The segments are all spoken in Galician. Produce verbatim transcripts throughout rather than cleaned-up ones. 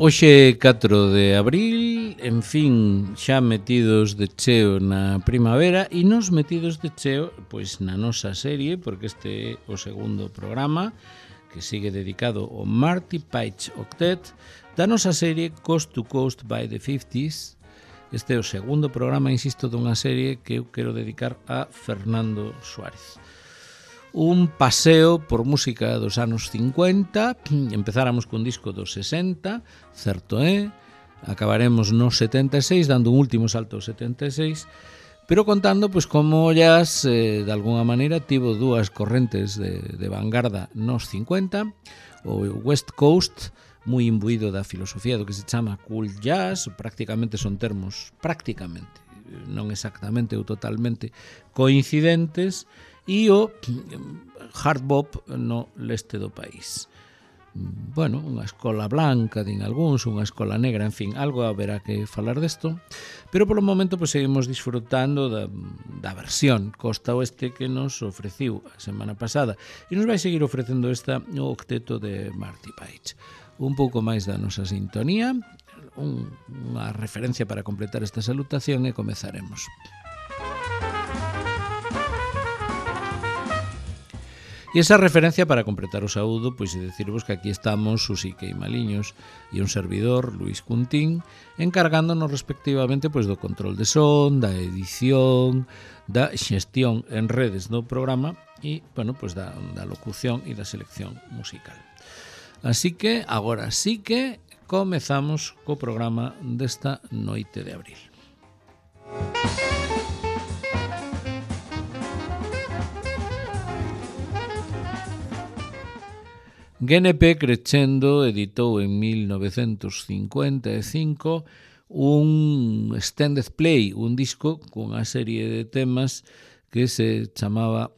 Hoxe catro de abril, en fin, xa metidos de cheo na primavera e nos metidos de cheo pois na nosa serie, porque este é o segundo programa que sigue dedicado ao Marty Paich Octet da nosa serie Coast to Coast by the fifties. Este é o segundo programa, insisto, dunha serie que eu quero dedicar a Fernando Suárez. Un paseo por música dos anos cincuenta, empezáramos cun disco dos sesenta, certo é, acabaremos nos setenta e seis, dando un último salto aos setenta e seis, pero contando pois como o jazz, eh, de alguna maneira, tivo dúas correntes de, de vanguarda nos cincuenta, o West Coast, moi imbuído da filosofía do que se chama cool jazz, prácticamente son termos, prácticamente, non exactamente ou totalmente coincidentes, e o hard bop no leste do país. Bueno, unha escola blanca, din algúns, unha escola negra, en fin, algo haberá que falar desto, pero polo momento pues, seguimos disfrutando da, da versión Costa Oeste que nos ofreciu a semana pasada e nos vai seguir ofrecendo esta o octeto de Marty Paich. Un pouco máis da nosa sintonía, un, unha referencia para completar esta salutación e comezaremos. E esa referencia para completar o saúdo, pois é decirvos que aquí estamos Susi Queimaliños e un servidor, Luis Cuntín, encargándonos respectivamente pois do control de son, da edición, da xestión en redes do programa e, bueno, pois da, da locución e da selección musical. Así que, agora sí que comezamos co programa desta noite de abril. G N P Crescendo editou en mil novecentos cincuenta e cinco un extended play, un disco cunha serie de temas que se chamaba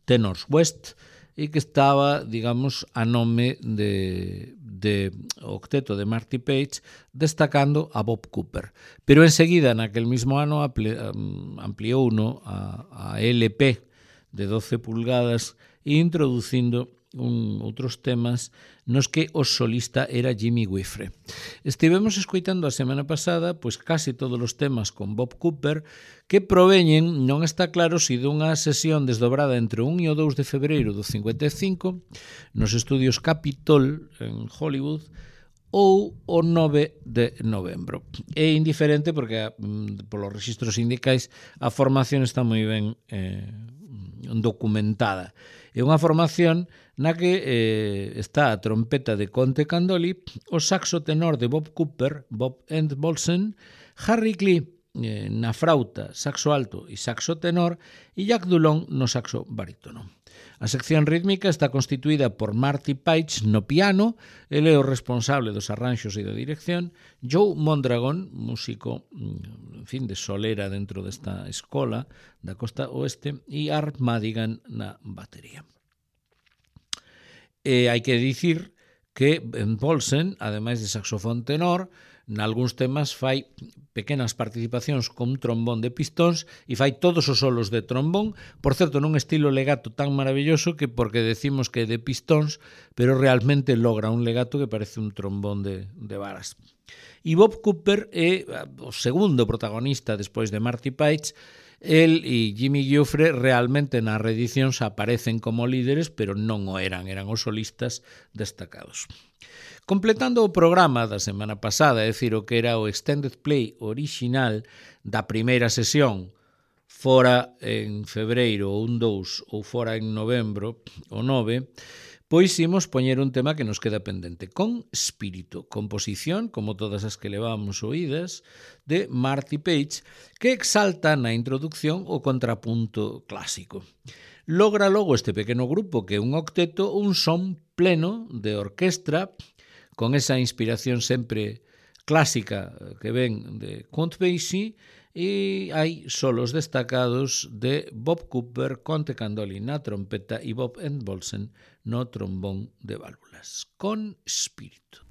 Tenors West e que estaba, digamos, a nome de, de octeto de Marty Paich, destacando a Bob Cooper. Pero enseguida, naquel mismo ano, ampliou uno a, a L P de doce pulgadas e introducindo un, outros temas nos que o solista era Jimmy Guifre. Estivemos escoitando a semana pasada pois casi todos os temas con Bob Cooper que proveñen, non está claro se dunha sesión desdobrada entre o un e o dous de febreiro do cincuenta e cinco nos estudios Capitol en Hollywood ou o nove de novembro. É indiferente porque polos registros sindicais a formación está moi ben eh, documentada. É unha formación na que eh, está a trompeta de Conte Candoli, o saxo tenor de Bob Cooper, Bob Entbolsen, Harry Clee eh, na frauta, saxo alto e saxo tenor e Jack Dulon no saxo barítono. A sección rítmica está constituída por Marty Paich no piano, ele é o responsable dos arranxos e da dirección, Joe Mondragon, músico, en fin, de solera dentro desta escola da Costa Oeste, e Art Madigan na batería. E hai que dicir que en Paulsen, ademais de saxofón tenor, nalgúns temas fai pequenas participacións con un trombón de pistóns e fai todos os solos de trombón, por certo, nun estilo legato tan maravilloso que porque decimos que é de pistóns, pero realmente logra un legato que parece un trombón de, de varas. E Bob Cooper é o segundo protagonista despois de Marty Paich. El e Jimmy Guifre realmente nas reedicións aparecen como líderes, pero non o eran, eran os solistas destacados. Completando o programa da semana pasada, é dicir, o que era o extended play original da primeira sesión, fora en febreiro o un dous ou fora en novembro o nove, pois imos poñer un tema que nos queda pendente, con espírito, composición, como todas as que levamos oídas, de Marty Paich, que exalta na introducción o contrapunto clásico. Logra logo este pequeno grupo, que é un octeto, un son pleno de orquestra, con esa inspiración sempre clásica que ven de Count Basie, e hai solos destacados de Bob Cooper, Conte Candoli na trompeta e Bob Entbolsen no trombón de válvulas. Con espírito.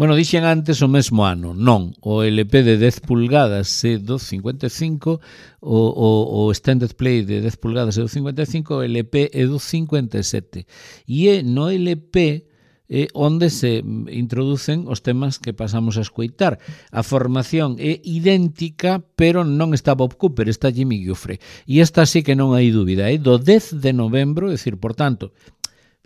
Bueno, dixen antes o mesmo ano, non, o L P de dez pulgadas é do cincuenta e cinco, o, o, o Extended Play de dez pulgadas é do cincuenta e cinco, o L P é do cincuenta e sete. E é no L P é onde se introducen os temas que pasamos a escoitar. A formación é idéntica, pero non está Bob Cooper, está Jimmy Giuffre. E esta sí que non hai dúbida, é do dez de novembro, é dicir, por tanto,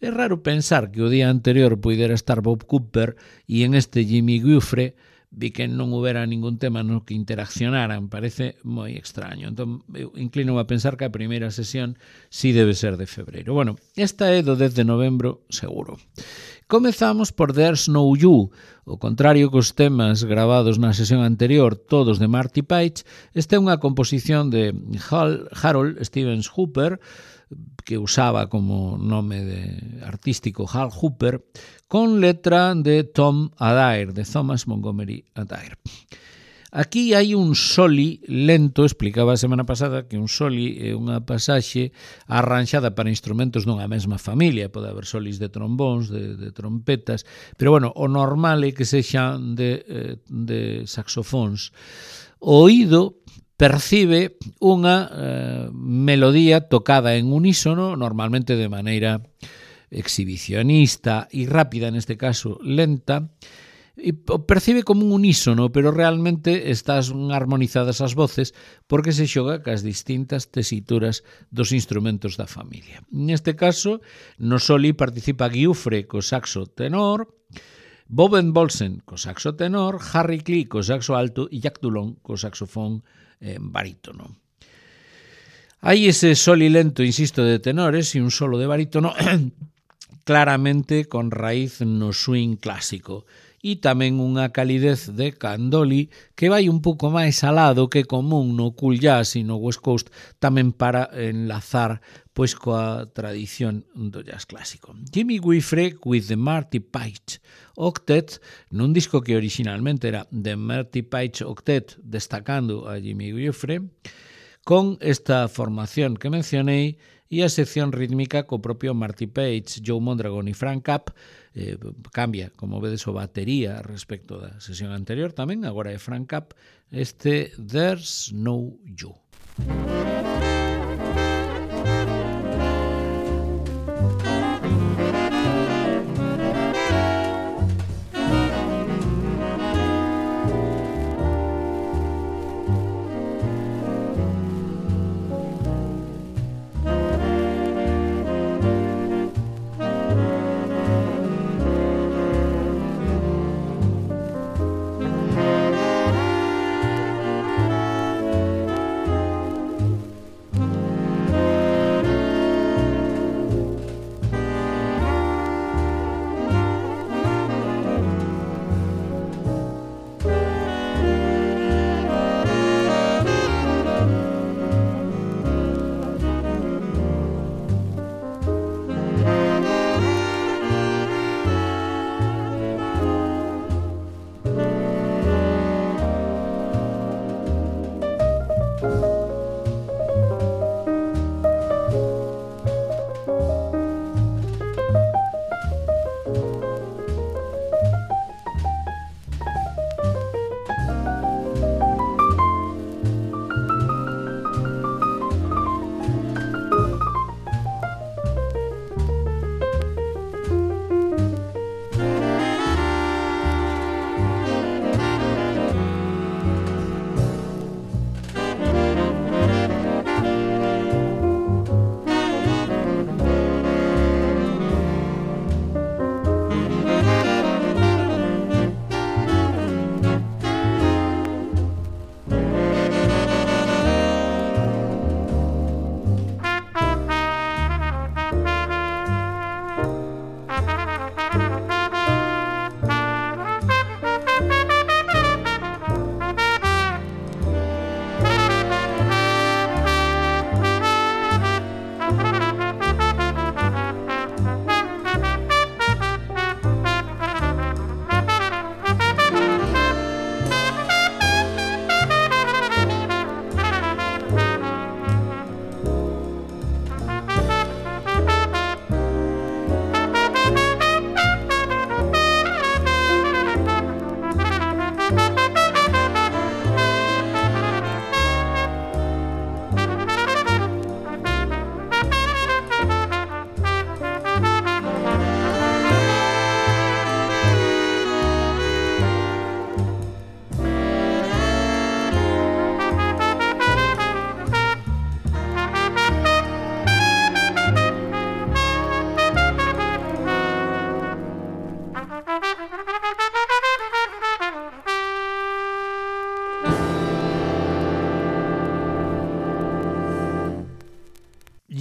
é raro pensar que o día anterior puidera estar Bob Cooper e en este Jimmy Giuffre vi que non houbera ningún tema no que interaccionaran, parece moi extraño. Entón, eu inclino a pensar que a primeira sesión sí debe ser de febreiro. Bueno, esta é do dez de novembro, seguro. Comezamos por There's No You, o contrario cos temas gravados na sesión anterior, todos de Marty Paich. Esta é unha composición de Hal, Harold Stevens Hooper, que usaba como nome de artístico Hal Hooper, con letra de Tom Adair, de Thomas Montgomery Adair. Aquí hai un soli lento, explicaba a semana pasada que un soli é unha pasaxe arranxada para instrumentos dunha mesma familia, pode haber solis de trombóns, de, de trompetas, pero bueno, o normal é que sexan de, de saxofóns. O oído percibe unha eh, melodía tocada en unísono, normalmente de maneira exhibicionista e rápida, neste caso lenta, e percibe como un unísono, pero realmente estás armonizadas as voces porque se xoga cas distintas tesituras dos instrumentos da familia. Neste caso, no soli participa Giuffre co saxo tenor, Bob Bolsen co saxo tenor, Harry Klee co saxo alto e Jack Dulon co saxofón eh, barítono. Hai ese soli lento, insisto, de tenores e un solo de barítono claramente con raíz no swing clásico e tamén unha calidez de candoli que vai un pouco máis alado que común no cool jazz e no West Coast, tamén para enlazar pois coa tradición do jazz clásico. Jimmy Giuffre with the Marty Paich Octet, nun disco que originalmente era The Marty Paich Octet, destacando a Jimmy Giuffre, con esta formación que mencionei e a sección rítmica co propio Marty Paich, Joe Mondragon e Frank Capp. Eh, cambia, como vedes, o batería respecto da sesión anterior tamén, agora é Frank Capp, este There's No You.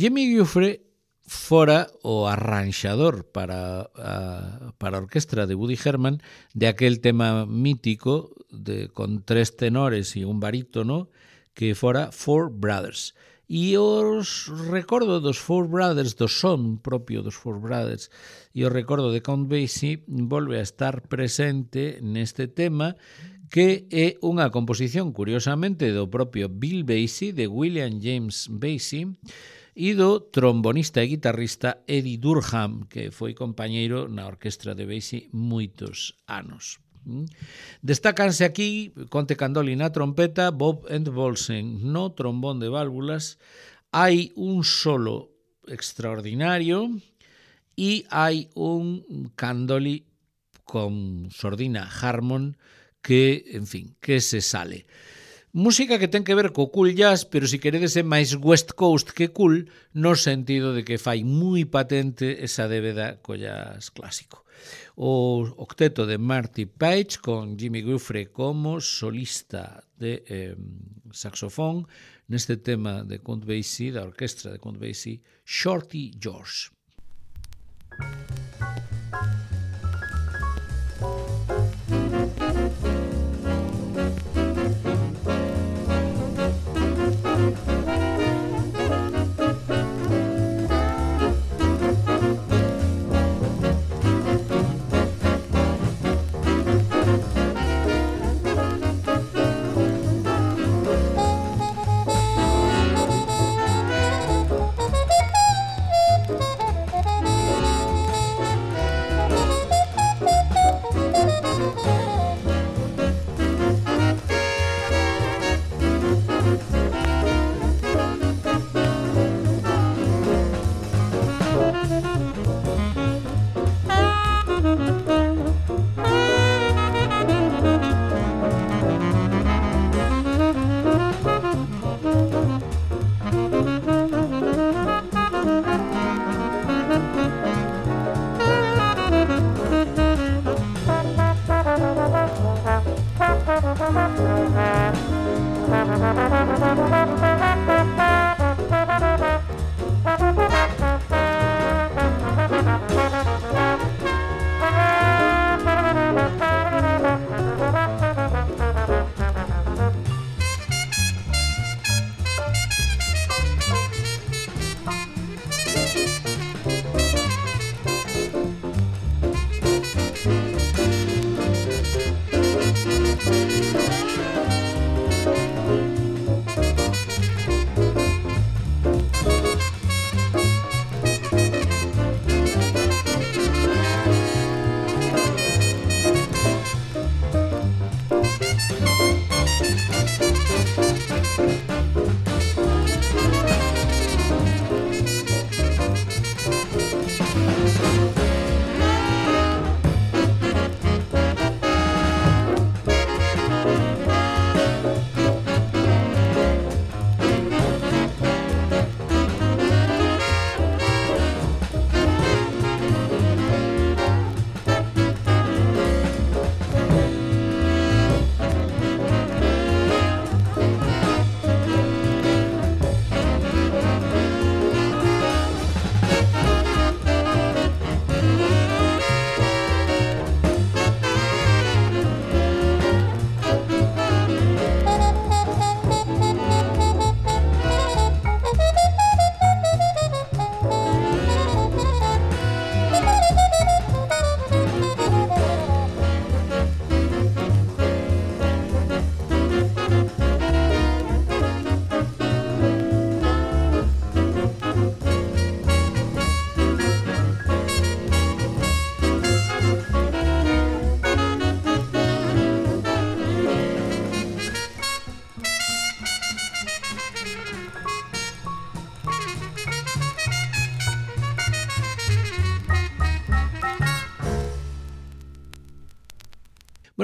Jimmy Giuffre fora o arranxador para a, para a orquestra de Woody Herman de aquel tema mítico de, con tres tenores e un barítono que fora Four Brothers. E os recordo dos Four Brothers, do son propio dos Four Brothers, e o recordo de Count Basie volve a estar presente neste tema, que é unha composición, curiosamente, do propio Bill Basie, de William James Basie, e do trombonista e guitarrista Eddie Durham, que foi compañeiro na orquestra de Basie moitos anos. Destacanse aquí Conte Candoli na trompeta, Bob Entbolsen no trombón de válvulas. Hai un solo extraordinario e hai un Candoli con sordina Harmon que, en fin, que se sale. Música que ten que ver co cool jazz, pero se queredes é máis West Coast que cool, no sentido de que fai moi patente esa débeda co jazz clásico. O octeto de Marty Page con Jimmy Giuffre como solista de eh, saxofón neste tema de Count Basie, da orquestra de Count Basie, Shorty George.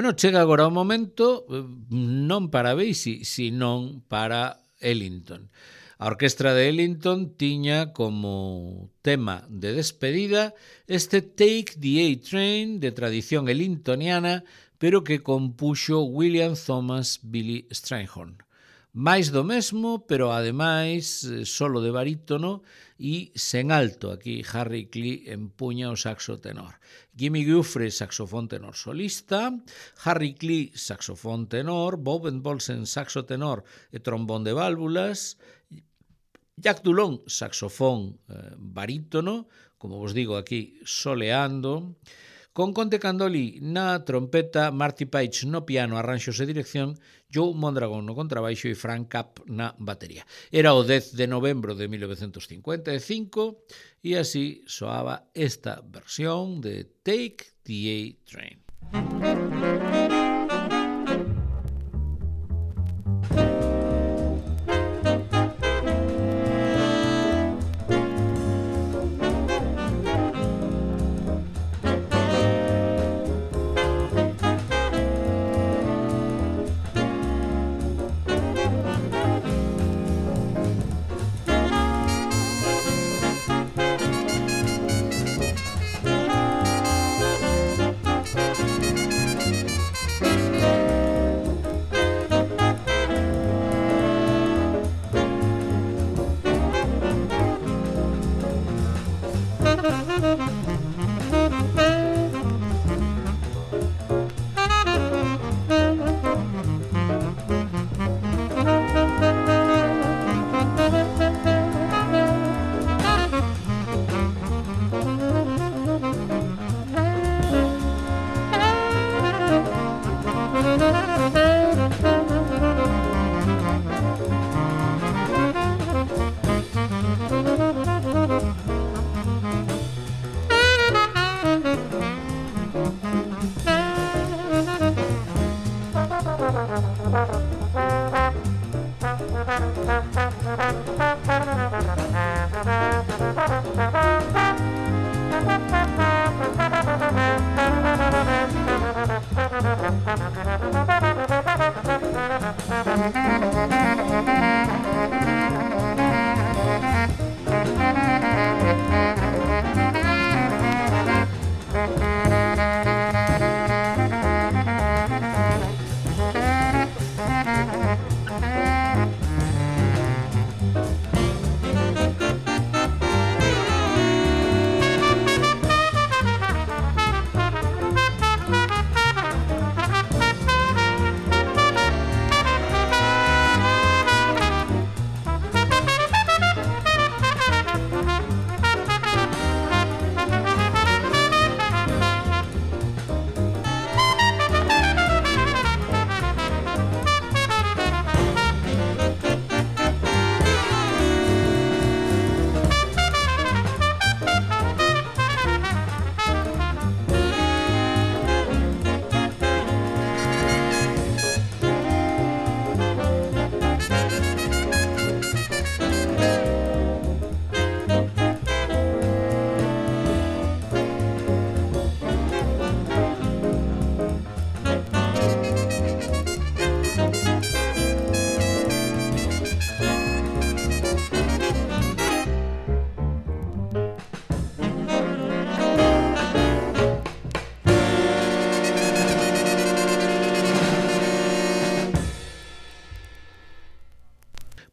Bueno, chega agora o momento non para Basie, sino para Ellington. A orquestra de Ellington tiña como tema de despedida este Take the A-Train de tradición ellingtoniana, pero que compuxo William Thomas Billy Strayhorn. máis do mesmo, pero ademais solo de barítono e sen alto. Aquí Harry Klee empuña o saxo tenor. Jimmy Giuffre, saxofón tenor solista, Harry Klee, saxofón tenor, Bob Entbolsen, saxo tenor e trombón de válvulas, Jack Dulon, saxofón eh, barítono, como vos digo aquí, soleando, con Conte Candoli na trompeta, Marty Paich no piano, arranxos e dirección, Joe Mondragon no contrabaixo e Frank Capp na batería. Era o dez de novembro de mil novecientos cincuenta e cinco e así soaba esta versión de Take the A-Train.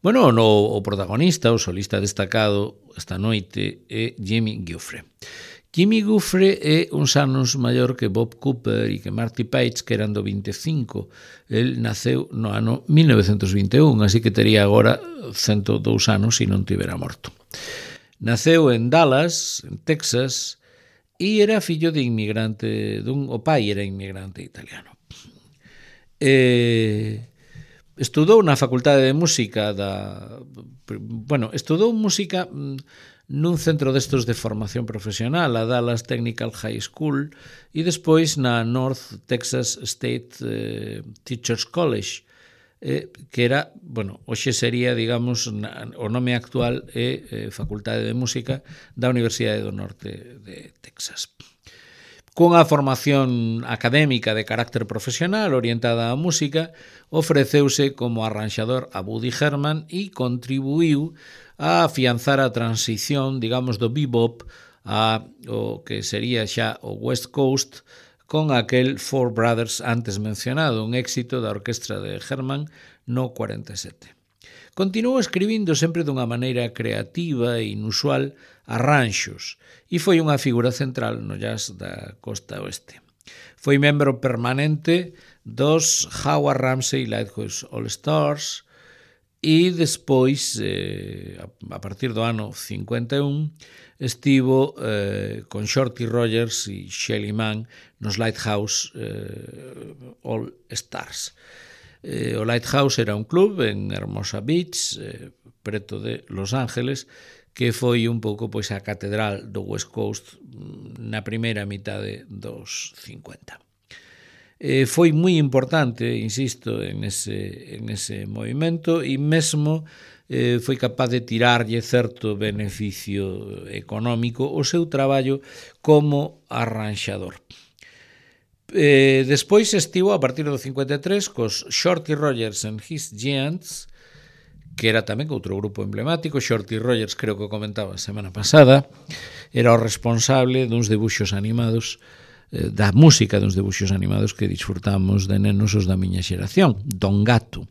Bueno, no, o protagonista, o solista destacado esta noite é Jimmy Giuffre. Jimmy Giuffre é uns anos maior que Bob Cooper e que Marty Paich, que eran do vinte e cinco. El naceu no ano mil novecientos vinte e un, así que tería agora cento e dous anos se non tivera morto. Naceu en Dallas, en Texas, e era fillo de inmigrante, dun, o pai era inmigrante italiano. E estudou na Facultade de Música da... Bueno, estudou música nun centro destos de formación profesional, a Dallas Technical High School, e despois na North Texas State eh, Teachers College, eh, que era, bueno, hoxe sería, digamos, na, o nome actual é eh, Facultade de Música da Universidade do Norte de Texas. Cunha formación académica de carácter profesional orientada á música, ofreceuse como arranxador a Woody Herman e contribuiu a afianzar a transición, digamos, do bebop a o que sería xa o West Coast con aquel Four Brothers antes mencionado, un éxito da orquestra de Herman no cuarenta e sete. Continuou escribindo sempre dunha maneira creativa e inusual arranxos e foi unha figura central no jazz da costa oeste. Foi membro permanente dos Howard Ramsey Lighthouse All Stars e despois, eh, a partir do ano cincuenta e un, estivo eh, con Shorty Rogers e Shelly Manne nos Lighthouse eh, All Stars. Eh, o Lighthouse era un club en Hermosa Beach, eh, preto de Los Ángeles, que foi un pouco pois a catedral do West Coast na primeira mitade dos cincuenta. Eh, foi moi importante, insisto, en ese, en ese movimento e mesmo eh, foi capaz de tirarlle certo beneficio económico o seu traballo como arranxador. Eh, despois estivo a partir do cincuenta e tres cos Shorty Rogers and His Giants, que era tamén outro grupo emblemático. Shorty Rogers, creo que o comentaba a semana pasada, era o responsable duns debuxos animados, eh, da música duns debuxos animados que disfrutamos de nenos os da miña xeración, Don Gato.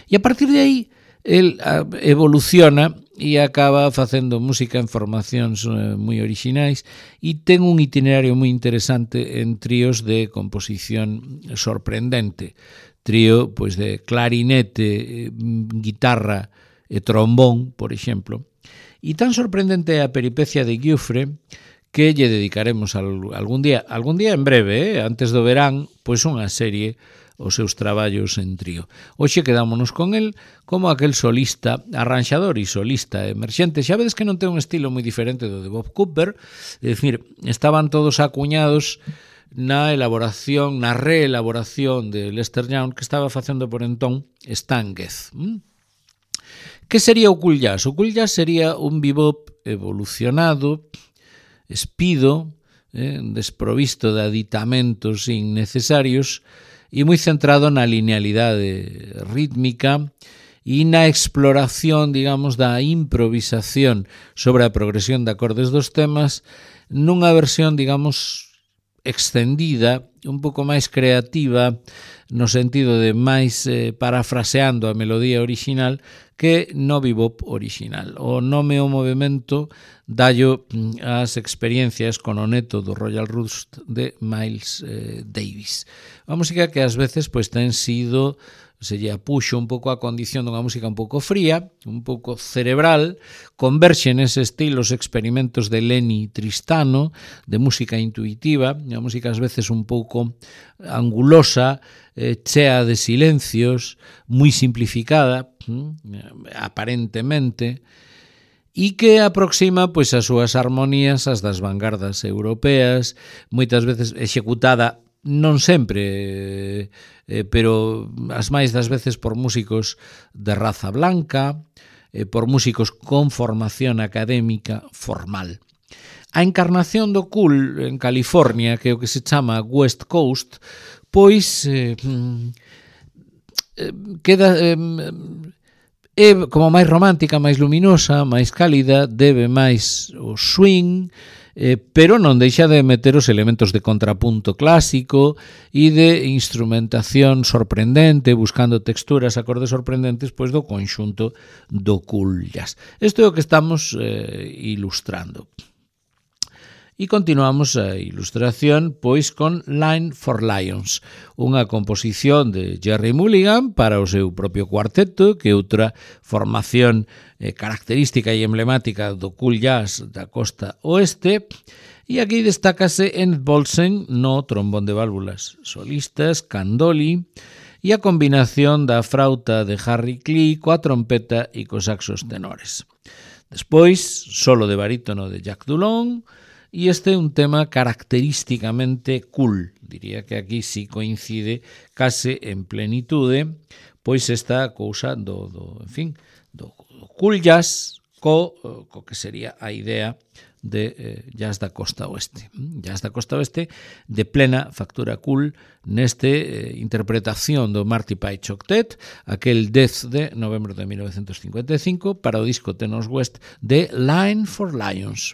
E a partir de aí, el evoluciona e acaba facendo música en formacións eh, moi orixinais e ten un itinerario moi interesante en tríos de composición sorprendente. Trío pois de clarinete, eh, guitarra e trombón, por exemplo. E tan sorprendente é a peripecia de Giuffre que lle dedicaremos algún día, algún día en breve, eh, antes do verán, pois unha serie os seus traballos en trío. Hoxe quedámonos con el como aquel solista, arranxador e solista emerxente. Xa vedes que non ten un estilo moi diferente do de Bob Cooper, é dicir, estaban todos acuñados na elaboración, na reelaboración de Lester Young que estaba facendo por entón Stan Getz. Que sería o cool jazz? O cool jazz sería un bebop evolucionado, espido, eh, desprovisto de aditamentos innecesarios e moi centrado na linealidade rítmica e na exploración, digamos, da improvisación sobre a progresión de acordes dos temas nunha versión, digamos, extendida, un pouco máis creativa, no sentido de máis eh, parafraseando a melodía original que no bebop original. O nome o movimento dallo as experiencias con o neto do Royal Roost de Miles eh, Davis. A música que ás veces pois ten sido, se lle apuxo un pouco a condición dunha música un pouco fría, un pouco cerebral, converxe nese estilo os experimentos de Lenny Tristano, de música intuitiva, unha música ás veces un pouco angulosa, eh, chea de silencios, moi simplificada, hm, aparentemente, e que aproxima pois as súas armonías ás das vanguardas europeas, moitas veces executada non sempre, eh, pero as máis das veces por músicos de raza blanca, eh, por músicos con formación académica formal. A encarnación do cool en California, que é o que se chama West Coast, pois eh, eh, queda eh, é como máis romántica, máis luminosa, máis cálida, debe máis o swing, Eh, pero non deixa de meter os elementos de contrapunto clásico e de instrumentación sorprendente, buscando texturas, acordes sorprendentes, pois do conxunto do cool jazz. Isto é o que estamos eh, ilustrando. E continuamos a ilustración pois con Line for Lions, unha composición de Jerry Mulligan para o seu propio cuarteto, que é outra formación eh, característica e emblemática do cool jazz da costa oeste, e aquí destácase Ed Bolsen no trombón de válvulas solistas, candoli, e a combinación da frauta de Harry Klee coa trompeta e cos saxos tenores. Despois, solo de barítono de Jack Dulon, e este é un tema característicamente cool. Diría que aquí sí coincide case en plenitude, pois esta cousa do, do en fin, do, do cool jazz co, co que sería a idea de eh, jazz da costa oeste. Jazz da costa oeste de plena factura cool neste eh, interpretación do Marty Pike Octet, aquel dez de novembro de mil novecientos cincuenta e cinco para o disco Tenos West de Line for Lions.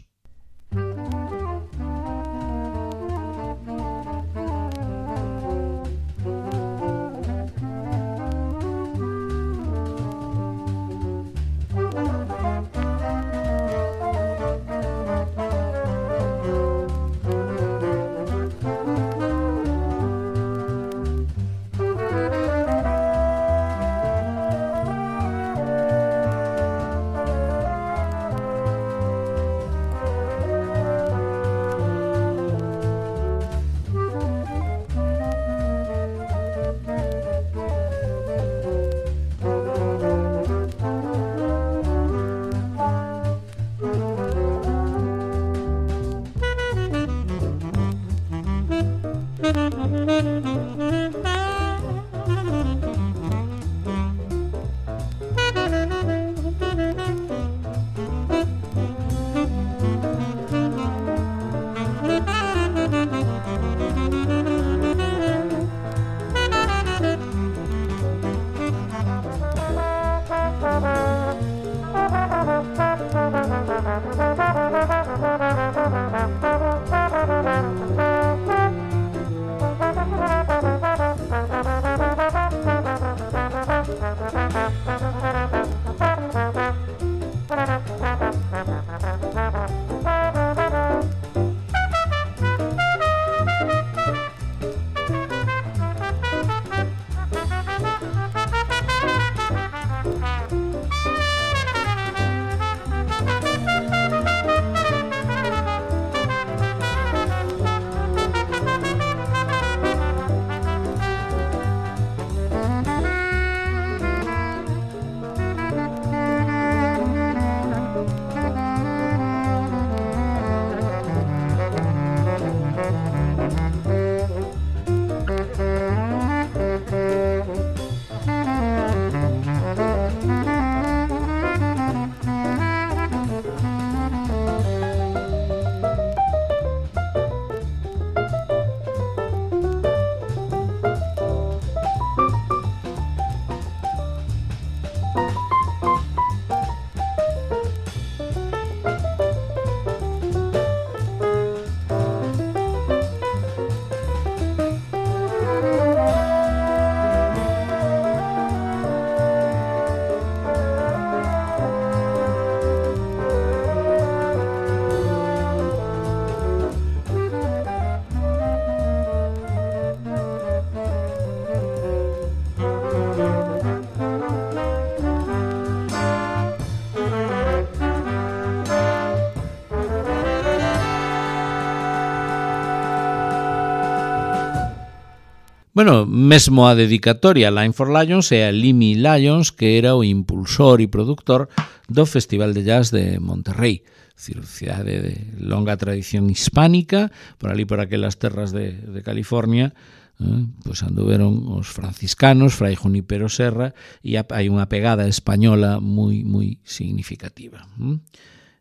Bueno, mesmo a dedicatoria Line for Lions é a Limmy Lyons, que era o impulsor e productor do Festival de Jazz de Monterrey, cidade de longa tradición hispánica, por ali por aquelas terras de, de California, eh, pois anduveron os franciscanos, Fray Junípero Serra, e hai unha pegada española moi, moi significativa.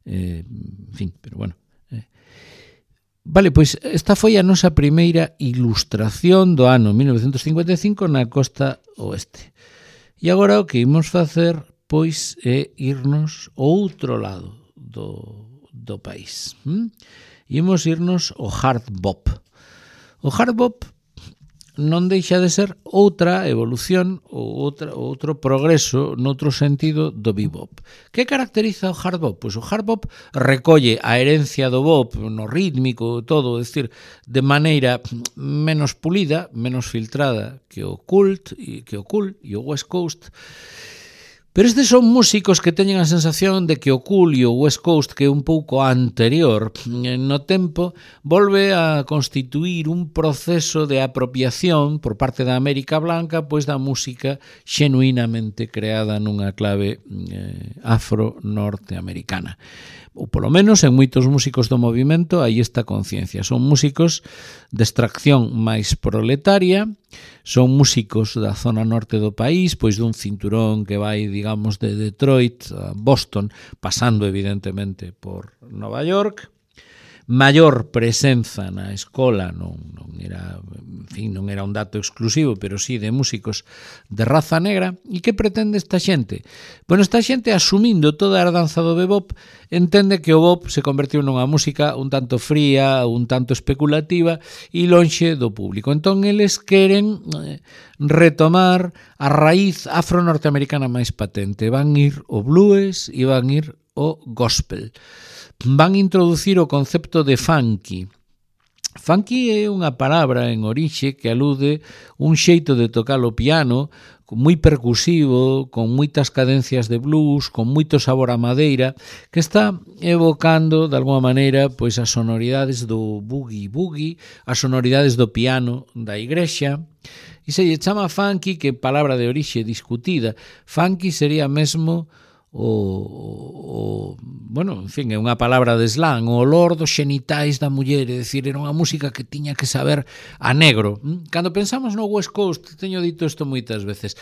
Eh, en fin, pero bueno. Vale, pois esta foi a nosa primeira ilustración do ano mil novecentos cincuenta e cinco na costa oeste. E agora o que imos facer, pois, é irnos ao outro lado do, do país. Hm? Imos irnos ao hard bop. O hard bop non deixa de ser outra evolución ou outra, outro progreso noutro sentido do bebop. Que caracteriza o hard bop? Pois o hard bop recolle a herencia do bop no rítmico, todo, é dicir, de maneira menos pulida, menos filtrada que o cult, que o cool e o West Coast. Pero estes son músicos que teñen a sensación de que o cool e o West Coast, que é un pouco anterior no tempo, volve a constituir un proceso de apropiación por parte da América Blanca, pois da música xenuinamente creada nunha clave eh, afro-norteamericana. Ou polo menos en moitos músicos do movimento hai esta conciencia. Son músicos de extracción máis proletaria, son músicos da zona norte do país, pois dun cinturón que vai, digamos, de Detroit a Boston, pasando evidentemente por Nova York. Maior presenza na escola, non, non era, en fin, non era un dato exclusivo, pero sí de músicos de raza negra. E que pretende esta xente? Bueno, esta xente, asumindo toda a herdanza do bebop, entende que o bop se convertiu nunha música un tanto fría, un tanto especulativa e lonxe do público. Entón, eles queren retomar a raíz afro-norteamericana máis patente. Van ir o blues e van ir o gospel. Van introducir o concepto de funky. Funky é unha palabra en orixe que alude un xeito de tocar o piano moi percusivo, con moitas cadencias de blues, con moito sabor a madeira, que está evocando, de alguma maneira, pois as sonoridades do boogie-boogie, as sonoridades do piano da igrexa. E se lle chama funky, que é palabra de orixe discutida. Funky sería mesmo O, o, bueno, en fin, é unha palabra de slang, o olor dos xenitais da muller, é dicir, era unha música que tiña que saber a negro. Cando pensamos no West Coast, teño dito isto moitas veces,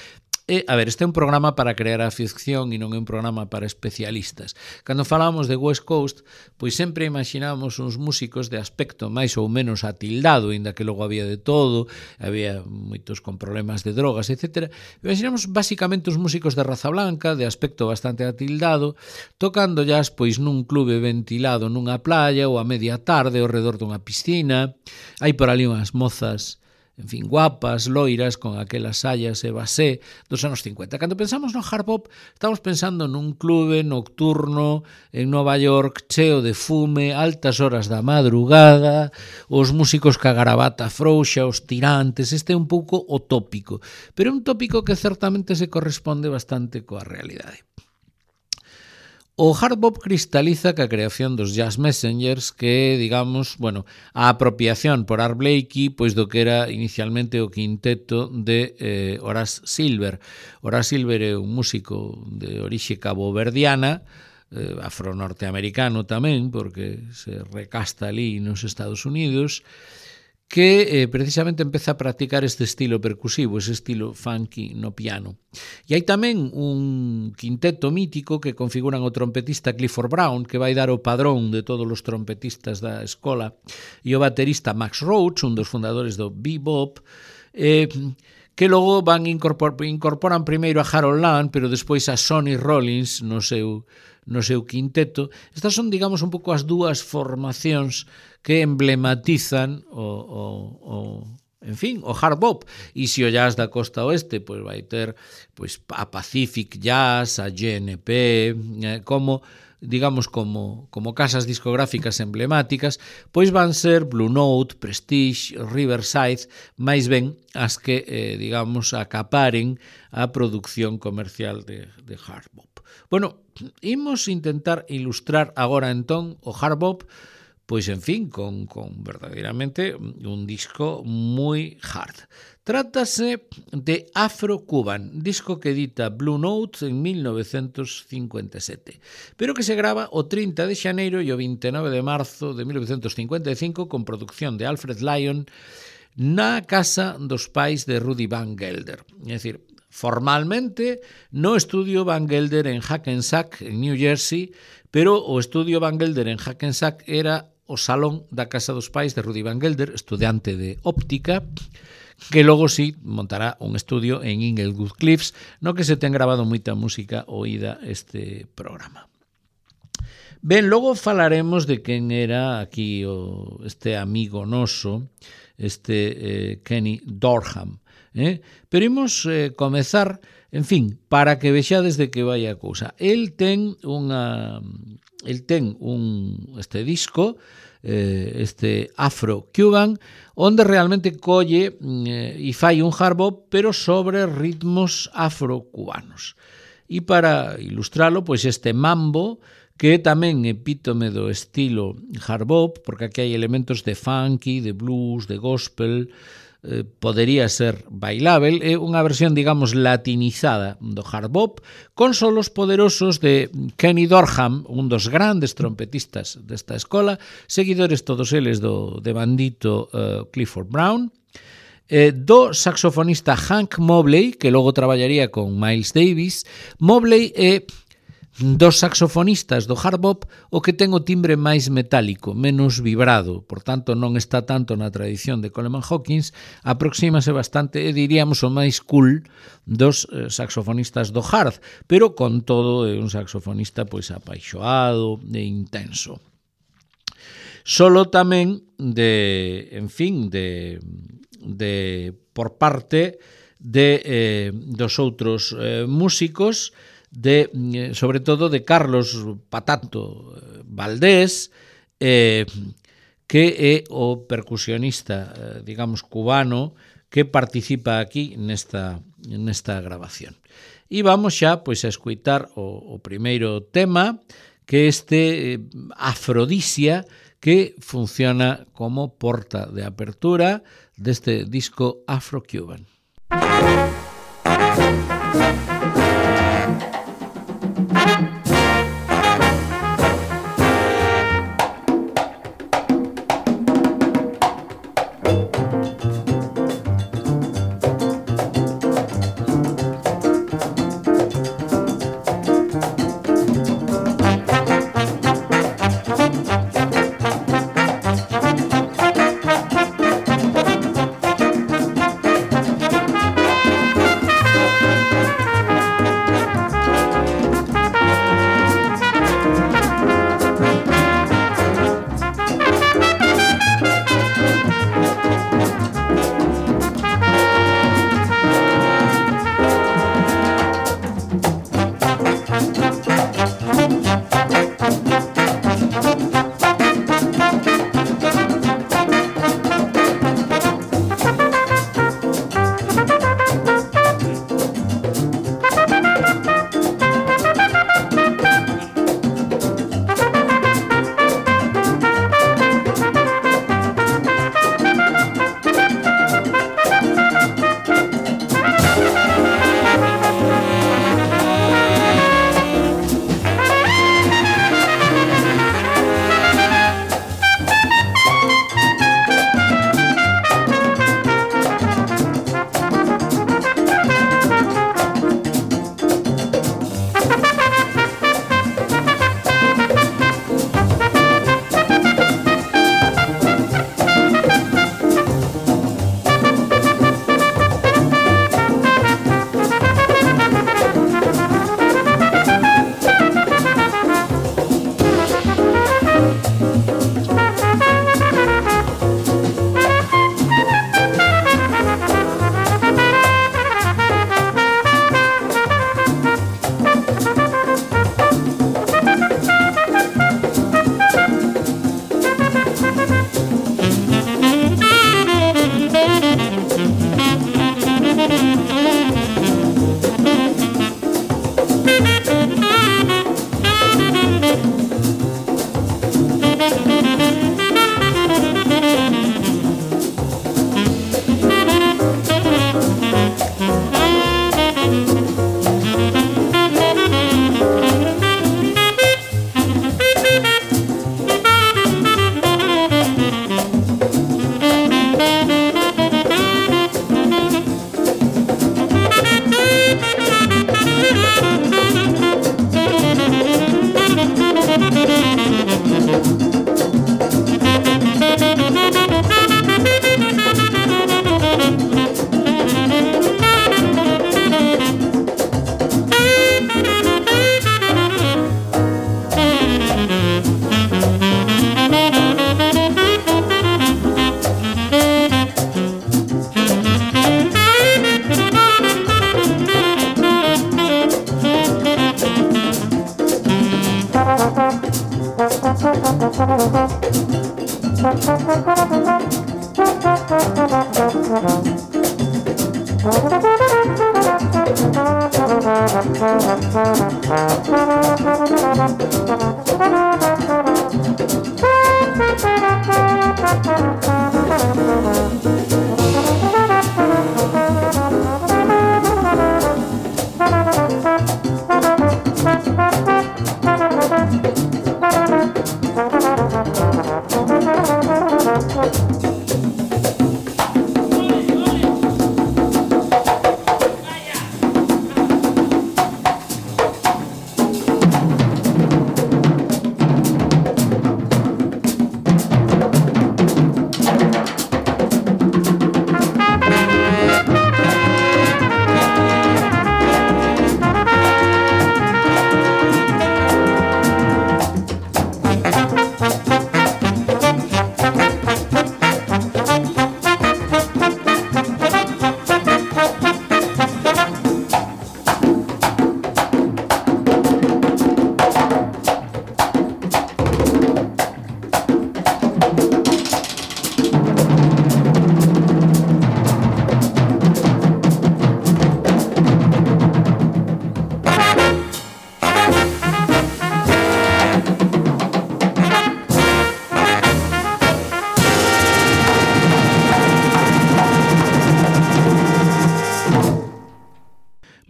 E, a ver, este é un programa para crear a ficción e non é un programa para especialistas. Cando falamos de West Coast, pois sempre imaginamos uns músicos de aspecto máis ou menos atildado, inda que logo había de todo, había moitos con problemas de drogas, etcétera. Imaginamos basicamente uns músicos de raza blanca, de aspecto bastante atildado, tocando jazz pois nun clube ventilado nunha playa ou a media tarde ao redor dunha piscina. Hai por ali unhas mozas en fin, guapas, loiras, con aquelas sallas e basé dos anos cincuenta. Cando pensamos no hard bop, estamos pensando nun clube nocturno en Nova York, cheo de fume, altas horas da madrugada, os músicos ca garabata frouxa, os tirantes. Este é un pouco o tópico, pero é un tópico que certamente se corresponde bastante coa realidade. O hard bop cristaliza ca creación dos Jazz Messengers, que, digamos, bueno, a apropiación por Art Blakey, pois do que era inicialmente o quinteto de eh, Horace Silver. Horace Silver é un músico de orixe caboverdiana, eh, afro-norteamericano tamén, porque se recasta ali nos Estados Unidos, que eh, precisamente empeza a practicar este estilo percusivo, ese estilo funky no piano. E hai tamén un quinteto mítico que configuran o trompetista Clifford Brown, que vai dar o padrón de todos os trompetistas da escola, e o baterista Max Roach, un dos fundadores do bebop, eh, que logo van incorpor, incorporan primeiro a Harold Land, pero despois a Sonny Rollins no seu, no seu quinteto. Estas son, digamos, un pouco as dúas formacións que emblematizan o, o, o en fin, o hard bop. E se o jazz da costa oeste, pois vai ter pois a Pacific Jazz, a G N P, eh, como digamos como como casas discográficas emblemáticas, pois van ser Blue Note, Prestige, Riverside, máis ben as que eh, digamos acaparen a produción comercial de, de hard bop. Bueno, imos intentar ilustrar agora entón o hard bop, pois en fin, con, con verdadeiramente un disco moi hard. Trátase de Afro-Cuban, disco que edita Blue Note en mil novecentos cincuenta e sete, pero que se grava o trinta de xaneiro e o vinte e nove de marzo de mil novecentos cincuenta e cinco con producción de Alfred Lion na casa dos pais de Rudy Van Gelder. É dicir, formalmente no estudio Van Gelder en Hackensack, en New Jersey, pero o estudio Van Gelder en Hackensack era o salón da casa dos pais de Rudy Van Gelder, estudante de óptica, que logo sí montará un estudio en Inglewood Cliffs, no que se ten grabado moita música oída este programa. Ben, logo falaremos de quen era aquí o, este amigo noso, este eh, Kenny Dorham, eh? Pero imos eh, comezar, en fin, para que vexades de que vai a cousa. El ten unha el ten un este disco, eh, este Afro-Cuban, onde realmente colle eh, e fai un hard bop, pero sobre ritmos afro-cubanos. E para ilustralo, pois este mambo, que é tamén epítome do estilo hard bop, porque aquí hai elementos de funky, de blues, de gospel, eh, podería ser bailável, é unha versión, digamos, latinizada do hard bop, con solos poderosos de Kenny Dorham, un dos grandes trompetistas desta escola, seguidores todos eles do de bandito uh, Clifford Brown, eh, do saxofonista Hank Mobley, que logo traballaría con Miles Davis. Mobley é dos saxofonistas do hard bop o que ten o timbre máis metálico, menos vibrado, por tanto non está tanto na tradición de Coleman Hawkins, aproxímase bastante, e diríamos o máis cool dos eh, saxofonistas do hard, pero con todo é un saxofonista pois apaixoado e intenso. Solo tamén de, en fin, de, de por parte de eh, dos outros eh, músicos, de, sobre todo de Carlos Patato Valdés, eh, que é o percusionista, eh, digamos, cubano, que participa aquí nesta, nesta grabación. E vamos xa pois, a escuitar o, o primeiro tema, que é este eh, Afrodisia, que funciona como porta de apertura deste disco Afro-Cuban.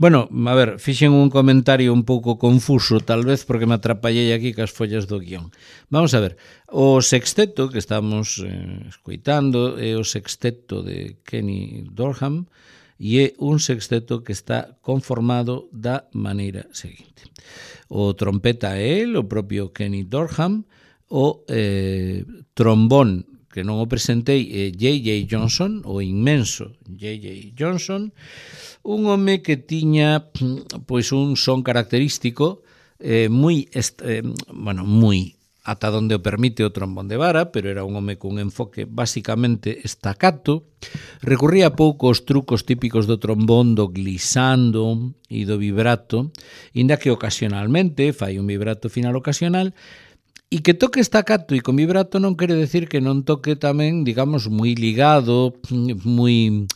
Bueno, a ver, fixen un comentario un pouco confuso, tal vez porque me atrapallei aquí cas follas do guión. Vamos a ver, o sexteto que estamos eh, escoitando é o sexteto de Kenny Dorham e é un sexteto que está conformado da maneira seguinte. O trompeta é el, o propio Kenny Dorham, o eh, trombón, que non o presentei, é J J Johnson, o inmenso J J Johnson, un home que tiña pois un son característico eh, moi, eh, bueno, moi ata onde o permite o trombón de vara, pero era un home cun enfoque basicamente staccato, recurría pouco aos trucos típicos do trombón, do glissando e do vibrato, inda que ocasionalmente fai un vibrato final ocasional, e que toque staccato e con vibrato non quere decir que non toque tamén, digamos, moi ligado, moi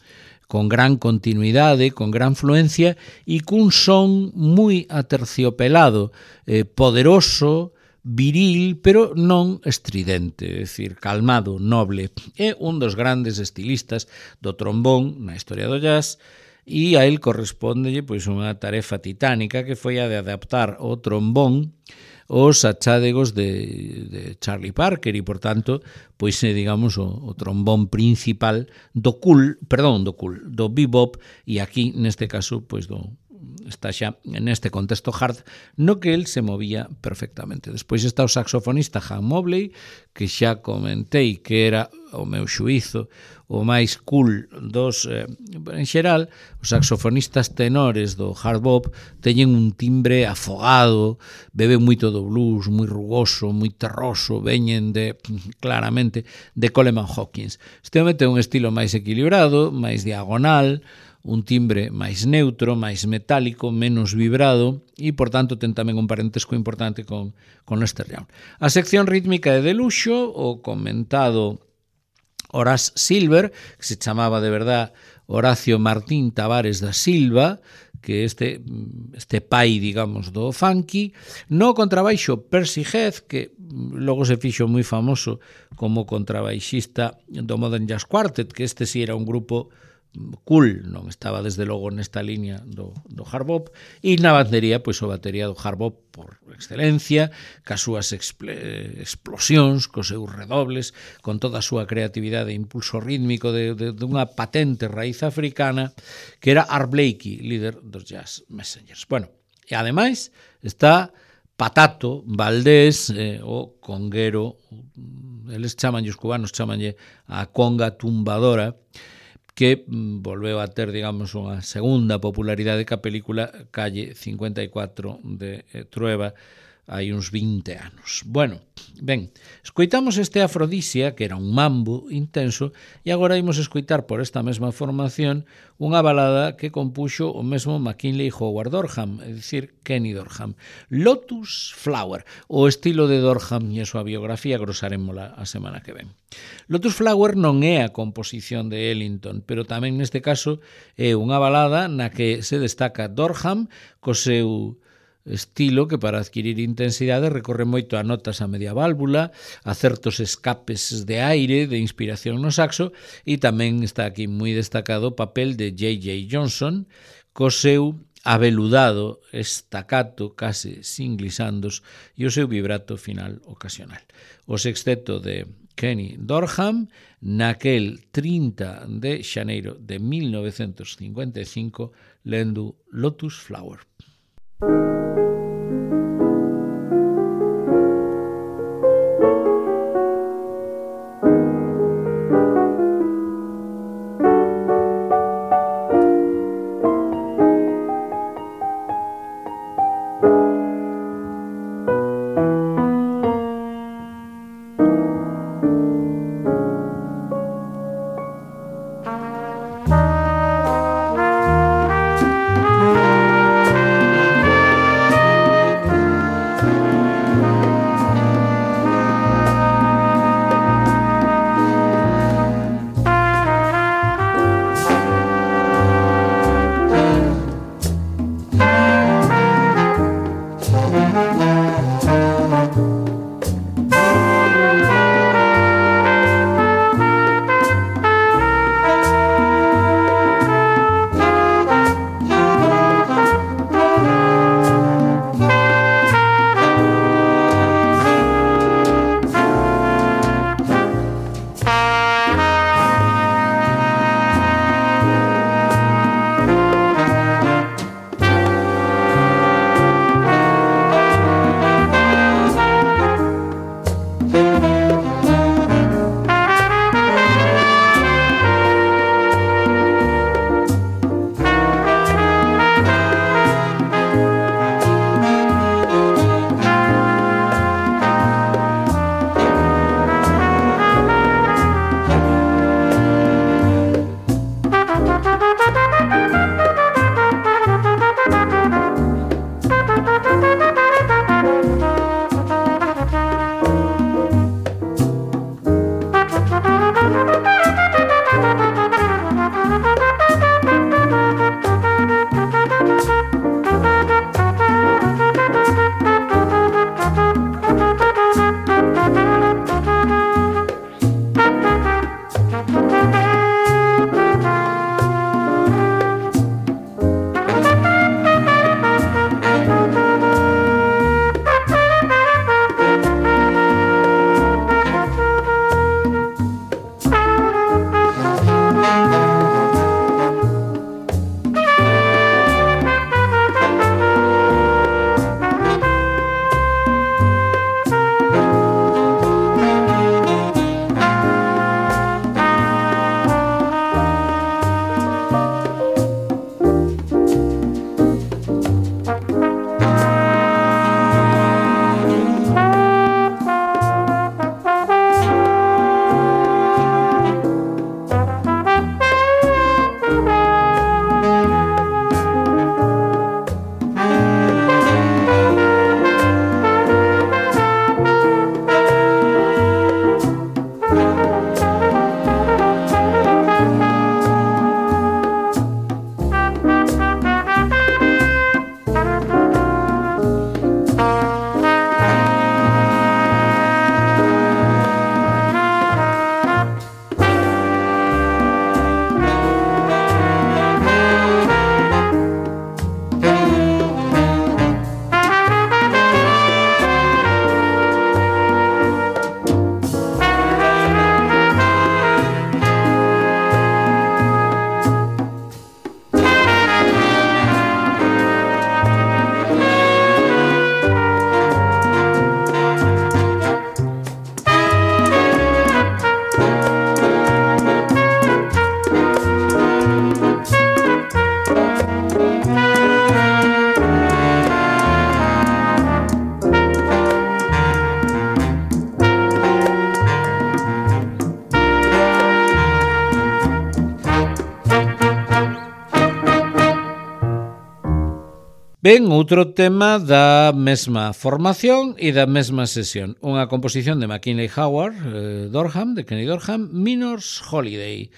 con gran continuidade, con gran fluencia e cun son moi aterciopelado, eh, poderoso, viril, pero non estridente, é dicir, calmado, noble. É un dos grandes estilistas do trombón na historia do jazz e a él correspóndelle pois unha tarefa titánica que foi a de adaptar o trombón os achádegos de, de Charlie Parker e, por tanto, pois é, digamos, o, o trombón principal do cool, perdón, do cool, do bebop e aquí, neste caso, pois do está xa neste contexto hard no que el se movía perfectamente. Despois está o saxofonista Han Mobley, que xa comentei que era o meu xuízo o máis cool dos, eh, en xeral, os saxofonistas tenores do hard bop teñen un timbre afogado, beben moito do blues, moi rugoso, moi terroso, veñen de, claramente, de Coleman Hawkins. Este home ten un estilo máis equilibrado, máis diagonal, un timbre máis neutro, máis metálico, menos vibrado e, por tanto, ten tamén un parentesco importante con, con Lester Young. A sección rítmica é de luxo, o comentado Horace Silver, que se chamaba de verdad Horacio Martín Tavares da Silva, que este, este pai, digamos, do funky, no contrabaixo Percy Heath, que logo se fixo moi famoso como contrabaixista do Modern Jazz Quartet, que este sí era un grupo cool, non estaba desde logo nesta línea do, do hard bop, e na batería, pois o batería do hard bop por excelencia, cas súas expl- explosións, cos seus redobles, con toda a súa creatividade e impulso rítmico de, de, de unha patente raíz africana, que era Art Blakey, líder dos Jazz Messengers. Bueno, e ademais está Patato Valdés, eh, o conguero, eles chamanlle, os cubanos chamanlle a conga tumbadora, que volveu a ter, digamos, unha segunda popularidade que a película Calle cincuenta e cuatro de Trueba hai uns vinte anos. Bueno, ben, escoitamos este Afrodisia, que era un mambo intenso, e agora imos escoitar por esta mesma formación unha balada que compuxo o mesmo McKinley Howard Dorham, é dicir, Kenny Dorham. Lotus Flower, o estilo de Dorham e a súa biografía, grosarémola a semana que ven. Lotus Flower non é a composición de Ellington, pero tamén neste caso é unha balada na que se destaca Dorham co seu estilo que para adquirir intensidade recorre moito a notas a media válvula, a certos escapes de aire, de inspiración no saxo, e tamén está aquí moi destacado o papel de J J Johnson co seu aveludado estacato case sin glisandos e o seu vibrato final ocasional. O sexteto de Kenny Dorham naquel trinta de xaneiro de mil novecentos cincuenta e cinco lendo Lotus Flower. Ben, outro tema da mesma formación e da mesma sesión. Unha composición de McKinley Howard, eh, Dorham, de Kenny Dorham, Minor's Holiday.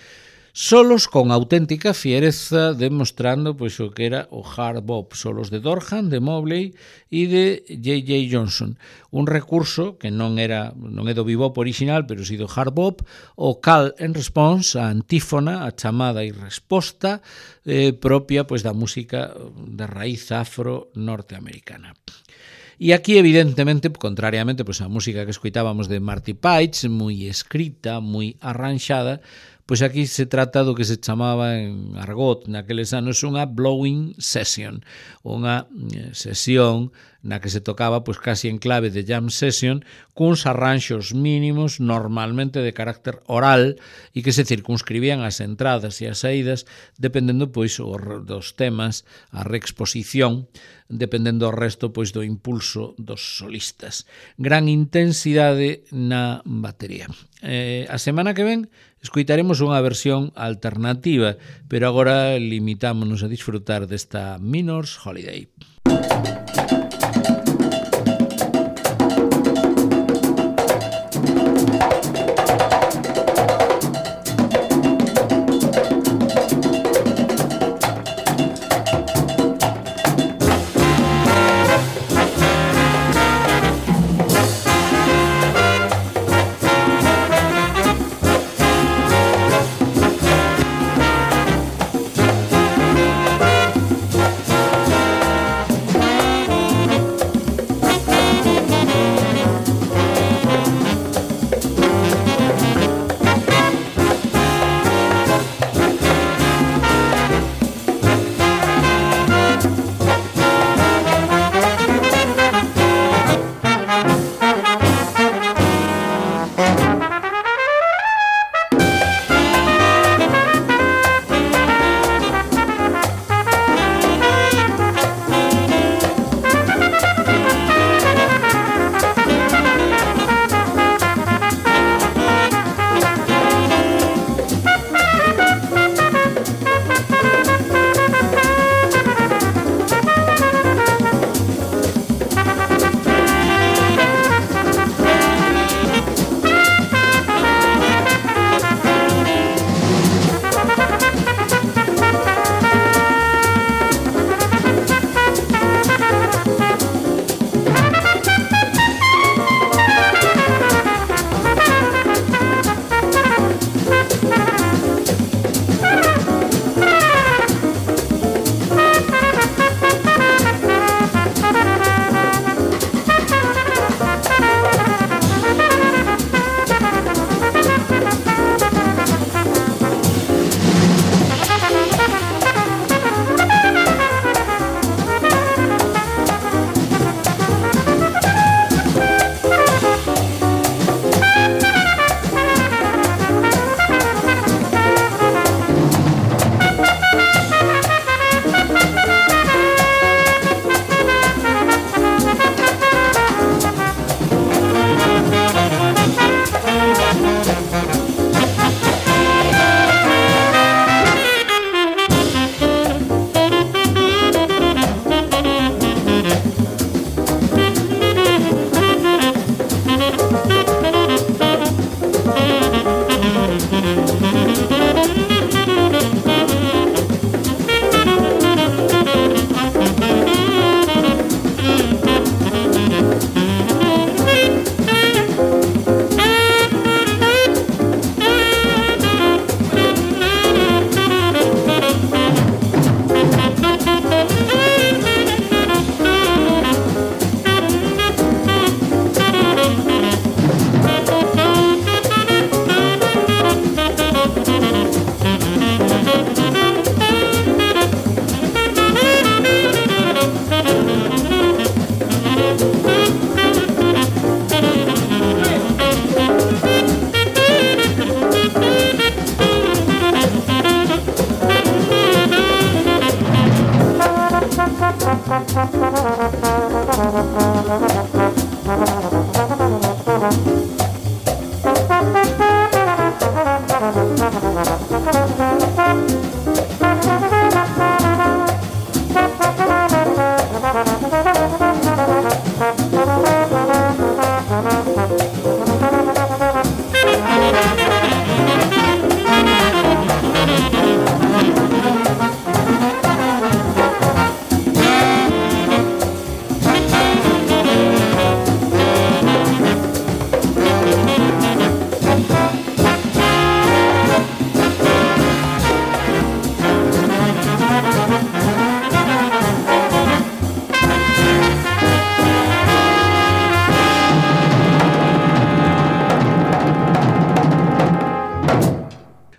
Solos con auténtica fiereza, demostrando pois o que era o hard bop, solos de Dorham, de Mobley e de J J Johnson. Un recurso que non era non é do bebop original, pero si do hard bop, o call and response, a antífona, a chamada e resposta eh, propia pois da música de raíz afro norteamericana. E aquí, evidentemente, contrariamente pois a música que escoitábamos de Marty Paich, moi escrita, moi arranxada, pois aquí se trata do que se chamaba en argot naqueles anos unha blowing session, unha sesión na que se tocaba pois casi en clave de jam session cuns arranxos mínimos normalmente de carácter oral e que se circunscribían as entradas e as saídas dependendo pois dos temas, a reexposición, dependendo o resto pois do impulso dos solistas. Gran intensidade na batería. Eh, a semana que ven escoitaremos unha versión alternativa, pero agora limitámonos a disfrutar desta Minor's Holiday.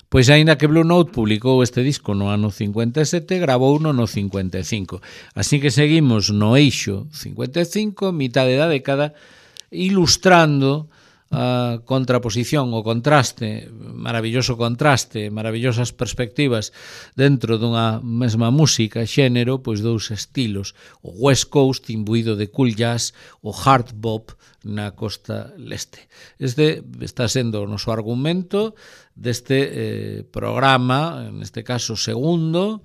Pois aínda que Blue Note publicou este disco no ano cincuenta e sete, gravouno no cincuenta e cinco. Así que seguimos no eixo cincuenta e cinco, mitad da década, ilustrando a contraposición, o contraste, maravilloso contraste, maravillosas perspectivas dentro dunha mesma música, xénero, pois dous estilos, o West Coast imbuído de cool jazz, o hard bop na costa leste. Este está sendo o noso argumento deste eh, programa, neste caso segundo,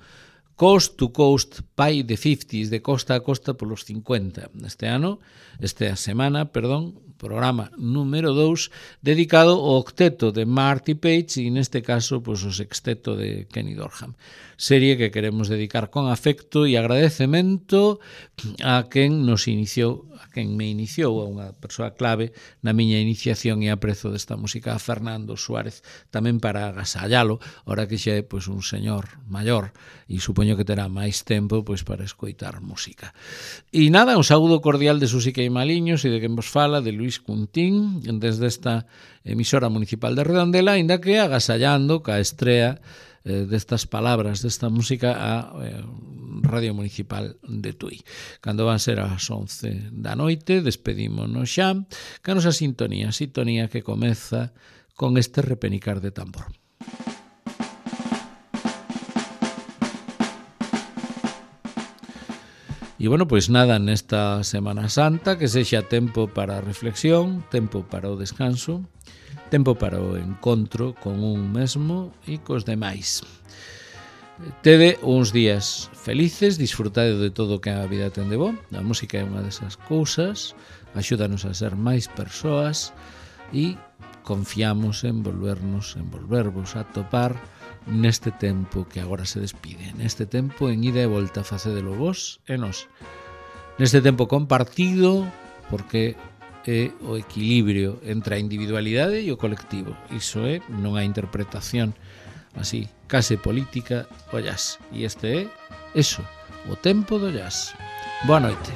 Coast to Coast by the fifties, de costa a costa polos cincuenta. Este ano, esta semana, perdón, programa número dous, dedicado ao octeto de Marty Page e neste caso pois, o sexteto de Kenny Dorham. Serie que queremos dedicar con afecto e agradecemento a quen nos iniciou, a quen me iniciou, a unha persoa clave na miña iniciación e aprezo desta música, a Fernando Suárez, tamén para agasallalo, ora que xa é pois, un señor maior e supoño que terá máis tempo pois, para escoitar música. E nada, un saúdo cordial de Susi Queimaliños e de quen vos fala, de Luis Cuntín, desde esta emisora municipal de Redondela, ainda que agasallando ca estrea eh, destas palabras, desta música a eh, Radio Municipal de Tui. Cando van ser as once da noite, despedímonos xa, ca nosa sintonía, sintonía que comeza con este repenicar de tambor. E, bueno, pois nada, nesta Semana Santa, que sexa tempo para a reflexión, tempo para o descanso, tempo para o encontro con un mesmo e cos demais. Tede uns días felices, disfrutade de todo o que a vida ten de bo. A música é unha desas cousas, axúdanos a ser máis persoas e confiamos en volvernos, en volvervos a topar neste tempo que agora se despide, neste tempo en ida e volta, facedelo vos e nós, neste tempo compartido, porque é o equilibrio entre a individualidade e o colectivo. Iso é, non a interpretación así, case política, o jazz. E este é, eso, o tempo do jazz. Boa noite.